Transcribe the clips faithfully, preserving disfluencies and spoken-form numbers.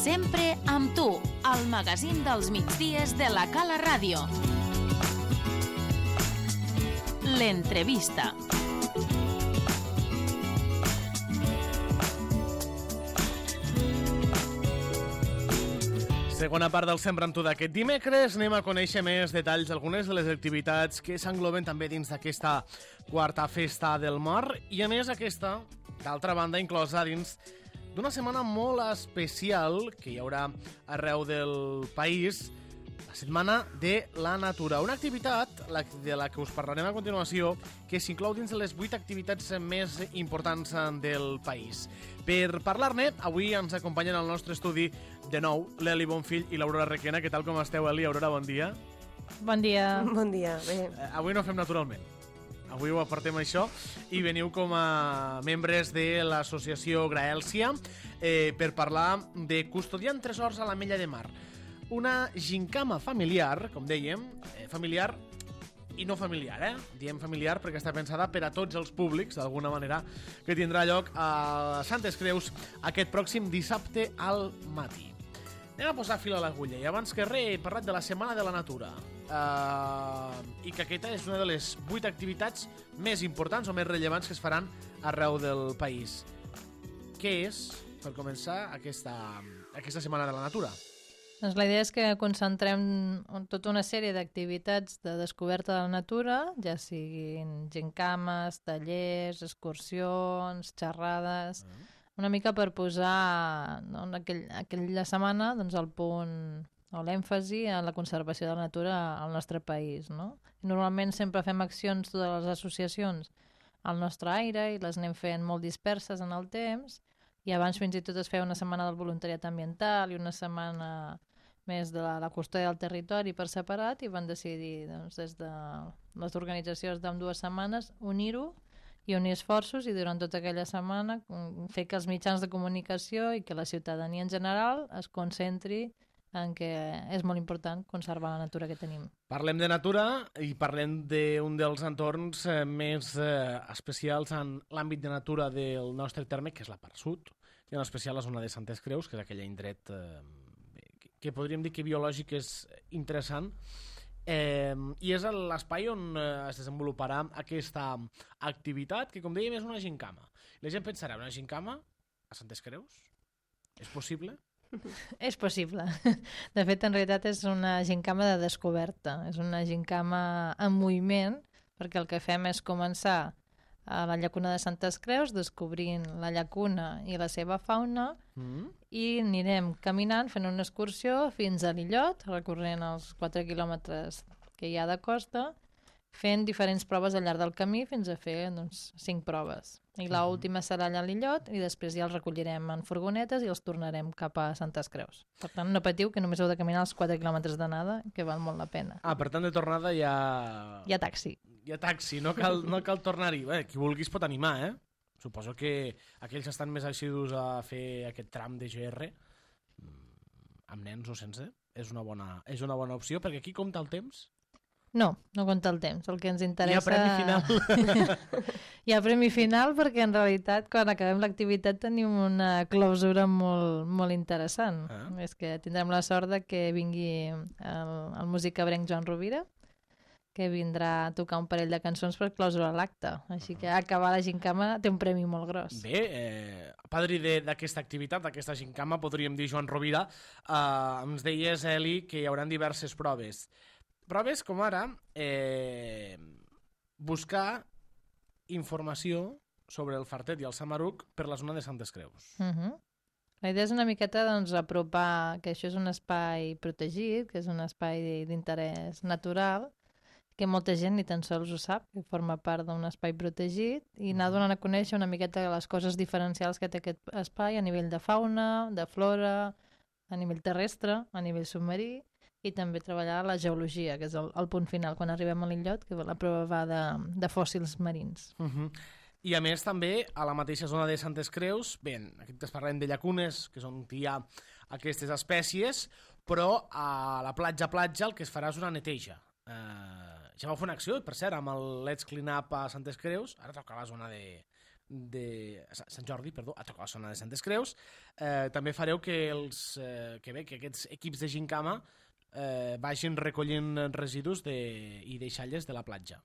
Sempre amb tu, al magazín dels migdies de la Cala Ràdio. L'entrevista. Segona part del Sempre amb tu d'aquest dimecres. Anem a conèixer més detalls d'algunes de les activitats que s'engloben també dins d'aquesta quarta festa del mar i a més aquesta, d'altra banda, inclosa dins d'una setmana molt especial que hi haurà arreu del país, la Setmana de la Natura. Una activitat de la que us parlarem a continuació que s'inclou dins de les vuit activitats més importants del país. Per parlar-ne, avui ens acompanyen al nostre estudi de nou l'Eli Bonfill i l'Aurora Requena. Què tal, com esteu, Eli? Aurora, bon dia. Bon dia. Bon dia, bé. Eh, avui no fem naturalment. Avui ho apartem això i veniu com a membres de l'associació Graèlcia eh, per parlar de Custodiant Tresors a l'Ametlla de Mar. Una gincama familiar, com dèiem, eh, familiar i no familiar, eh? Diem familiar perquè està pensada per a tots els públics, d'alguna manera, que tindrà lloc a Santes Creus aquest pròxim dissabte al matí. Anem a posar fil a l'agulla i abans que res he parlat de la Setmana de la Natura uh, i que aquesta és una de les vuit activitats més importants o més rellevants que es faran arreu del país. Què és, per començar, aquesta, aquesta Setmana de la Natura? Doncs la idea és que concentrem tota una sèrie d'activitats de descoberta de la natura, ja siguin gincames, tallers, excursions, xerrades, uh-huh. una mica per posar no, en aquell, aquella setmana doncs, el punt o l'èmfasi en la conservació de la natura al nostre país. No? Normalment sempre fem accions totes les associacions al nostre aire i les anem fent molt disperses en el temps i abans fins i tot es feia una setmana del voluntariat ambiental i una setmana més de la, la custòdia del territori per separat i van decidir doncs, des de les organitzacions d'ambdues setmanes unir-ho i unir esforços i durant tota aquella setmana fer que els mitjans de comunicació i que la ciutadania en general es concentri en què és molt important conservar la natura que tenim. Parlem de natura i parlem d'un dels entorns eh, més eh, especials en l'àmbit de natura del nostre terme, que és la part sud, i en especial la zona de Santes Creus, que és aquell indret eh, que podríem dir que biològic és interessant, eh, i és l'espai on eh, es desenvoluparà aquesta activitat, que com dèiem és una gincama. La gent pensarà, una gincama a Santes Creus? És possible? És possible. De fet, en realitat és una gincama de descoberta. És una gincama en moviment, perquè el que fem és començar a la llacuna de Santes Creus, descobrint la llacuna i la seva fauna, mm. i anirem caminant, fent una excursió fins a l'illot, recorrent els quatre quilòmetres que hi ha de costa, fent diferents proves al llarg del camí fins a fer doncs, cinc proves. I l'última serà allà a l'illot i després ja els recollirem en furgonetes i els tornarem cap a Santes Creus. Per tant, no patiu que només heu de caminar els quatre quilòmetres d'anada, que val molt la pena. Ah, per tant, de tornada hi ha... Hi ha taxi. Hi ha taxi, no cal, no cal tornar-hi. Bé, qui vulgui es pot animar, eh? Suposo que aquells estan més assidus a fer aquest tram de G R, amb nens o sense, és una bona, és una bona opció, perquè aquí compta el temps. No, no compta el temps. El que ens interessa... Hi ha premi final. Hi ha premi final perquè en realitat quan acabem l'activitat tenim una clausura molt, molt interessant. Ah. És que tindrem la sort de que vingui el, el músic cabrenc Joan Rovira, que vindrà a tocar un parell de cançons per clausurar l'acte. Així que acabar la gincama té un premi molt gros. Bé, eh, padrí d'aquesta activitat, d'aquesta gincama, podríem dir Joan Rovira, eh, ens deies, Eli, que hi haurà diverses proves. Proves com ara eh, buscar informació sobre el fartet i el samaruc per la zona de Santes Creus. Uh-huh. La idea és una miqueta doncs, apropar que això és un espai protegit, que és un espai d'interès natural, que molta gent ni tan sols ho sap, que forma part d'un espai protegit, i anar donant a conèixer una miqueta les coses diferencials que té aquest espai a nivell de fauna, de flora, a nivell terrestre, a nivell submarí, i també treballar la geologia, que és el, el punt final, quan arribem a l'illot, que la prova va de, de fòssils marins. Uh-huh. I a més també a la mateixa zona de Santes Creus, bé, aquí es parlem de llacunes, que és on hi ha aquestes espècies, però a la platja-platja el que es farà és una neteja. Eh, ja vau fer una acció, per cert, amb el Let's Clean Up a Santes Creus, ara toca la zona de, de Sant Jordi, perdó, a tocar la zona de Santes Creus. Eh, també fareu que, els, eh, que, bé, que aquests equips de gincama eh, vagin recollint residus de, i deixalles de la platja.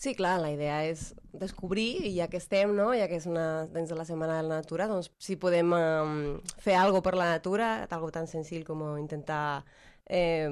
Sí, clar, la idea és descobrir, i ja que estem, no? Ja que és una, dins de la Setmana de la Natura, doncs si podem eh, fer alguna per la natura, algo tan senzill com intentar eh,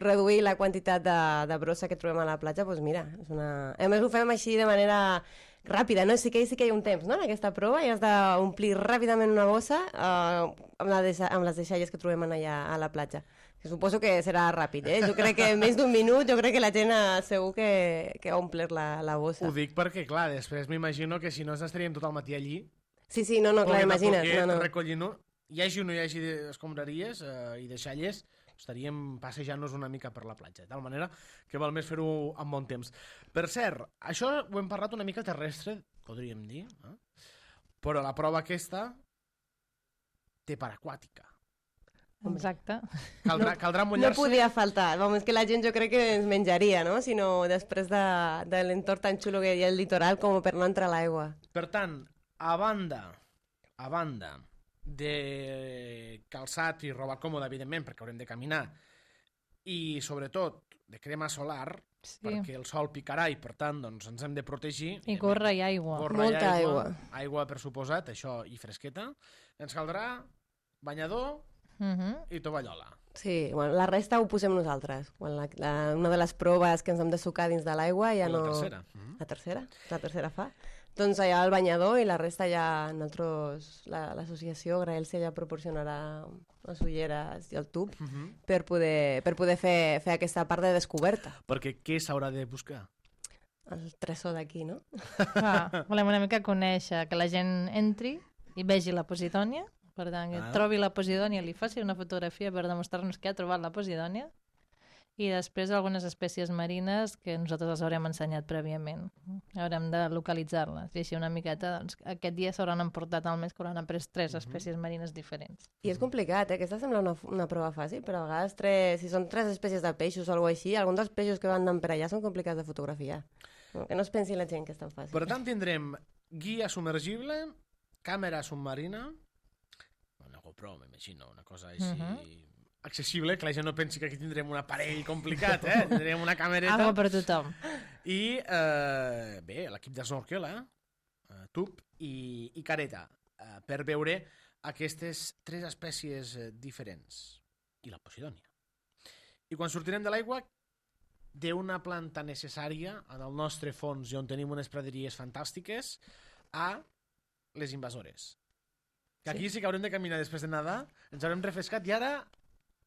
reduir la quantitat de, de brossa que trobem a la platja, doncs mira, és una... A més ho fem així de manera ràpida, no? Sí que, sí que hi ha un temps, no?, en aquesta prova, i has d'omplir ràpidament una bossa eh, amb, la deixa, amb les deixalles que trobem allà a la platja. Que suposo que serà ràpid, eh? Jo crec que en més d'un minut, jo crec que la gent segur que, que ha omplert la, la bossa. Ho dic perquè, clar, després m'imagino que si no estaríem tot el matí allí. Sí, sí, no, no, clar, imagina't. Poquet, no, no. recollint-ho, hi hagi o no hi hagi escombraries eh, i deixalles, estaríem passejant-nos una mica per la platja, de tal manera que val més fer-ho amb bon temps. Per cert, això ho hem parlat una mica terrestre, podríem dir, eh? Però la prova aquesta té part aquàtica. Exacte. Caldrà, no, caldrà mullar-se... No podia faltar. Vamos, que la gent jo crec que ens menjaria, no? Si no, després de, de l'entorn tan xulo que hi ha al litoral com per no entrar a l'aigua. Per tant, a banda, a banda de calçat i roba còmoda, evidentment, perquè haurem de caminar, i sobretot de crema solar, sí, perquè el sol picarà i per tant doncs, ens hem de protegir. I gorra i aigua. Gorra Molta i aigua. aigua. Aigua, per suposat, això, i fresqueta. Ens caldrà banyador Uh-huh. i tovallola. Sí, bueno, la resta ho posem nosaltres. Quan la, la, una de les proves que ens hem de sucar dins de l'aigua ja no... La tercera. Uh-huh. La tercera? La tercera fa. Doncs allà el banyador i la resta ja nosaltres, l'associació la, Graelsia ja proporcionarà les ulleres i el tub uh-huh. per poder, per poder fer, fer aquesta part de descoberta. Perquè què s'haurà de buscar? El tresor d'aquí, no? Ah, volem una mica conèixer, que la gent entri i vegi la Posidònia, per tant, que ah. trobi la Posidònia, li faci una fotografia per demostrar-nos que ha trobat la Posidònia, i després algunes espècies marines que nosaltres les haurem ensenyat prèviament. Haurem de localitzar-les. I així una miqueta, doncs, aquest dia s'hauran emportat almenys que hauran après tres uh-huh. espècies marines diferents. I és complicat, eh? Aquesta sembla una, una prova fàcil, però a vegades tres, si són tres espècies de peixos o alguna cosa així, alguns dels peixos que van anar per allà són complicats de fotografiar. Que no es pensi la gent que és tan fàcil. Per tant, tindrem guia submergible, càmera submarina, una GoPro, m'imagino, una cosa així... Uh-huh. accessible, que la gent no pensi que aquí tindrem un aparell complicat, eh? Tindrem una camereta. Algo per tothom. I, eh, bé, l'equip de snorkel, eh? Uh, tub i, i careta, uh, per veure aquestes tres espècies uh, diferents. I la Posidònia. I quan sortirem de l'aigua, d'una planta necessària en el nostre fons i on tenim unes praderies fantàstiques, a les invasores. Que aquí sí, sí que haurem de caminar després de nedar, ens haurem refrescat i ara...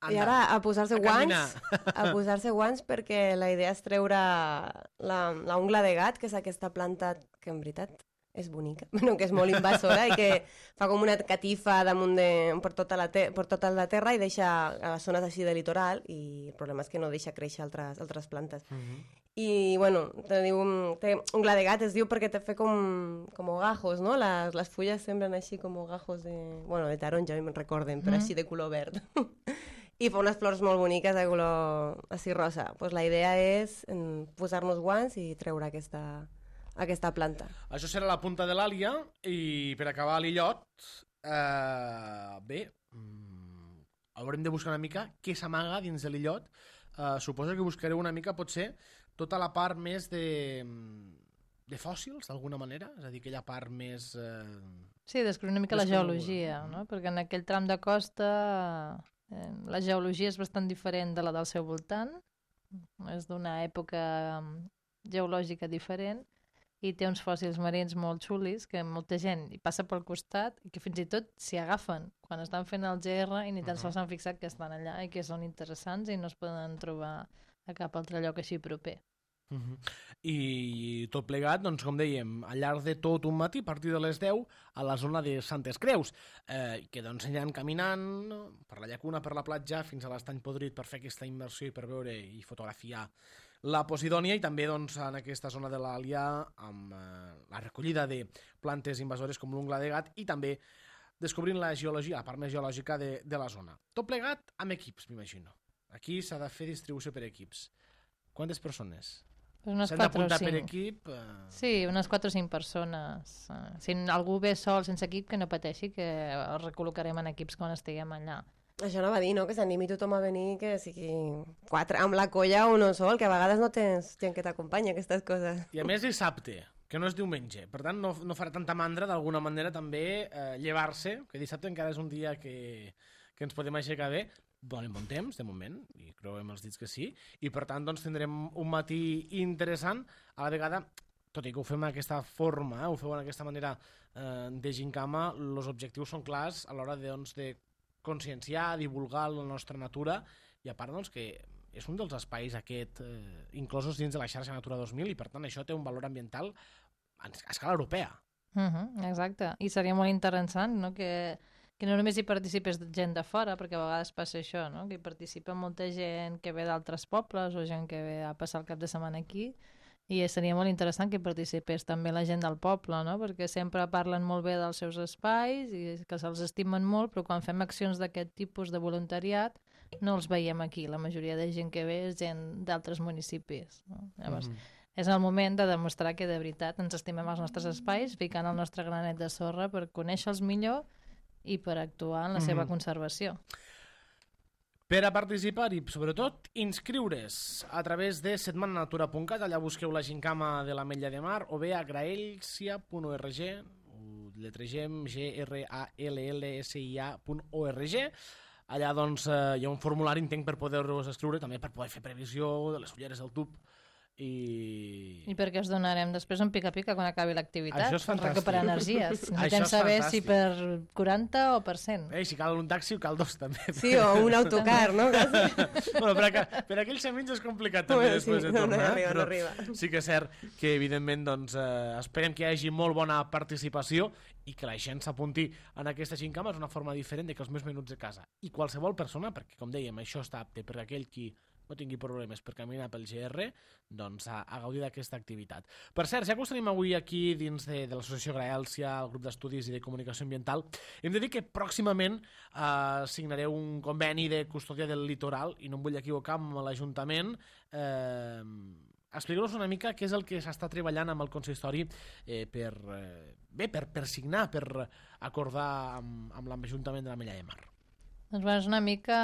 Anda, I ara a posar-se guants, a posar-se guants perquè la idea és treure la, la ungla de gat, que és aquesta planta que en veritat és bonica, bueno, que és molt invasora i que fa com una catifa damunt de, per, tota la te, per tota la terra i deixa a les zones així de litoral, i el problema és que no deixa créixer altres, altres plantes. Uh-huh. I, bueno, te diu, té ungla de gat, es diu perquè te fa com, com gajos, no? Les, les fulles semblen així com gajos de... Bueno, de taronja, me'n recorden, però uh-huh. així de color verd. I fa unes flors molt boniques de color així rosa. Pues la idea és posar-nos guants i treure aquesta, aquesta planta. Això serà la punta de l'àlia, i per acabar l'illot, eh, bé, mm, haurem de buscar una mica què s'amaga dins de l'illot. Eh, suposo que buscareu una mica, potser, tota la part més de, de fòssils, d'alguna manera? És a dir, aquella part més... Eh, sí, descobrir una mica la geologia, no? Perquè en aquell tram de costa... La geologia és bastant diferent de la del seu voltant, és d'una època geològica diferent i té uns fòssils marins molt xulis que molta gent hi passa pel costat i que fins i tot s'hi agafen quan estan fent el G R i ni tan sols s'han fixat que estan allà i que són interessants i no es poden trobar a cap altre lloc així proper. Uh-huh. I tot plegat, doncs, com dèiem, al llarg de tot un matí, a partir de les deu, a la zona de Santes Creus, eh, que doncs aniran caminant per la llacuna, per la platja, fins a l'estany podrit per fer aquesta immersió i per veure i fotografiar la Posidònia, i també doncs, en aquesta zona de l'Àlia amb eh, la recollida de plantes invasores com l'ungla de gat i també descobrint la geologia, la part més geològica de, de la zona. Tot plegat amb equips, m'imagino. Aquí s'ha de fer distribució per equips. Quantes persones? Unes S'han quatre o d'apuntar per cinc. equip. Eh... Sí, unes quatre o cinc persones. Eh, Si algú ve sol sense equip, que no pateixi, que el recol·locarem en equips quan estiguem allà. Això no va dir, no? Que s'animi tothom a venir, que sigui quatre, amb la colla o no sol, que a vegades no tens gent que t'acompanya, aquestes coses. I a més dissabte, que no és diumenge. Per tant, no, no farà tanta mandra d'alguna manera també eh, llevar-se, que dissabte encara és un dia que, que ens podem aixecar bé. Donem bon temps, de moment, i creuem els dits que sí, i per tant doncs, tindrem un matí interessant, a la vegada, tot i que ho fem d'aquesta forma, eh, ho feu d'aquesta manera eh, de gincama, els objectius són clars a l'hora de, doncs, de conscienciar, divulgar la nostra natura, i a part doncs, que és un dels espais aquest, eh, inclosos dins de la xarxa Natura dos mil, i per tant això té un valor ambiental a escala europea. Uh -huh, exacte, i seria molt interessant, no?, que que no només hi participés gent de fora, perquè a vegades passa això, no?, que hi participa molta gent que ve d'altres pobles o gent que ve a passar el cap de setmana aquí, i seria molt interessant que hi participés també la gent del poble, no?, perquè sempre parlen molt bé dels seus espais i que se'ls estimen molt, però quan fem accions d'aquest tipus de voluntariat no els veiem aquí. La majoria de gent que ve és gent d'altres municipis, no? Llavors, mm-hmm. és el moment de demostrar que de veritat ens estimem els nostres espais, ficant el nostre granet de sorra per conèixer-los millor i per actuar en la seva mm-hmm. conservació. Per a participar i, sobretot, inscriure's a través de setmana natura punt cat, allà busqueu la gincama de l'Ametlla de Mar, o bé a graelsia punt org, ho lletregem G R A L L S I A punt org. Allà doncs, eh, hi ha un formulari, entenc, per poder-vos escriure, també per poder fer previsió de les ulleres del tub. I... I perquè us donarem després un pica-pica quan acabi l'activitat. Això és fantàstic. Recuperar energies. Necessitem saber si per quaranta o per cent. Ei, si cal un taxi, cal dos, també. Sí, o un autocar, no? Bueno, per, a, per aquells camins és complicat també bueno, després sí, de no, tornar. no arriba, però no arriba. sí que és cert que, evidentment, doncs, eh, esperem que hi hagi molt bona participació i que la gent s'apunti en aquesta gincama. És una forma diferent de que els meus minuts de casa. I qualsevol persona, perquè, com dèiem, això està apte per aquell qui no tingui problemes per caminar pel G R, doncs a, a gaudir d'aquesta activitat. Per cert, ja que us tenim avui aquí dins de, de l'Associació Graèlsia, el grup d'estudis i de comunicació ambiental, hem de dir que pròximament eh, signareu un conveni de custòdia del litoral, i no em vull equivocar amb l'Ajuntament. Eh, expliqueu-nos una mica què és el que s'està treballant amb el consistori eh, per, eh, bé, per, per signar, per acordar amb, amb l'Ajuntament de l'Ametlla de Mar. Doncs bueno, és una mica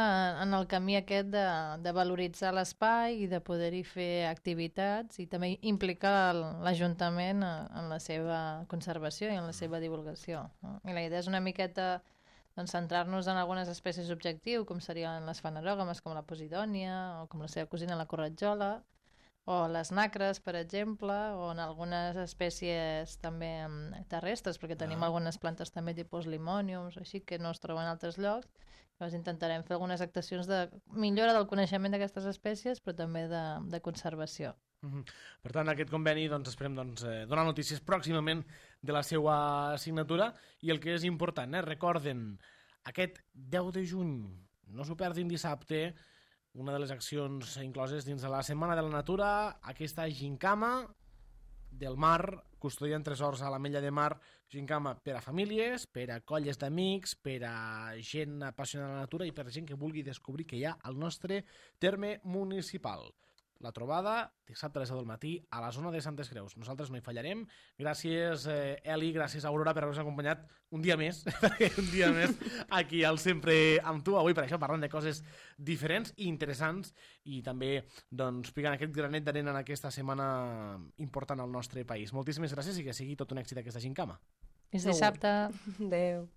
en el camí aquest de, de valoritzar l'espai i de poder-hi fer activitats i també implicar l'Ajuntament en la seva conservació i en la seva divulgació, no? I la idea és una miqueta doncs, centrar-nos en algunes espècies objectiu, com serien les fanerògames, com la posidònia, o com la seva cosina, la corretjola, o les nacres, per exemple, o en algunes espècies també terrestres, perquè tenim ah. algunes plantes també tipus limòniums, així que no es troben en altres llocs. Llavors intentarem fer algunes actuacions de millora del coneixement d'aquestes espècies, però també de, de conservació. Mm-hmm. Per tant, aquest conveni doncs, esperem doncs, eh, donar notícies pròximament de la seva signatura, i el que és important, eh, recorden, aquest deu de juny, no s'ho perdin dissabte, una de les accions incloses dins de la Setmana de la Natura, aquesta gincama del mar, custodiant tresors a l'Ametlla de Mar, gincama per a famílies, per a colles d'amics, per a gent apassionada de la natura i per a gent que vulgui descobrir què hi ha al nostre terme municipal. La trobada dissabte a les deu del matí a la zona de Santes Creus. Nosaltres no hi fallarem. Gràcies, eh, Eli, gràcies, Aurora, per haver-nos acompanyat un dia més, un dia més aquí al Sempre amb tu. Avui, per això, parlant de coses diferents i interessants i també doncs, picant aquest granet d'arena en aquesta setmana important al nostre país. Moltíssimes gràcies i que sigui tot un èxit aquesta gincama. Fins dissabte. Adéu.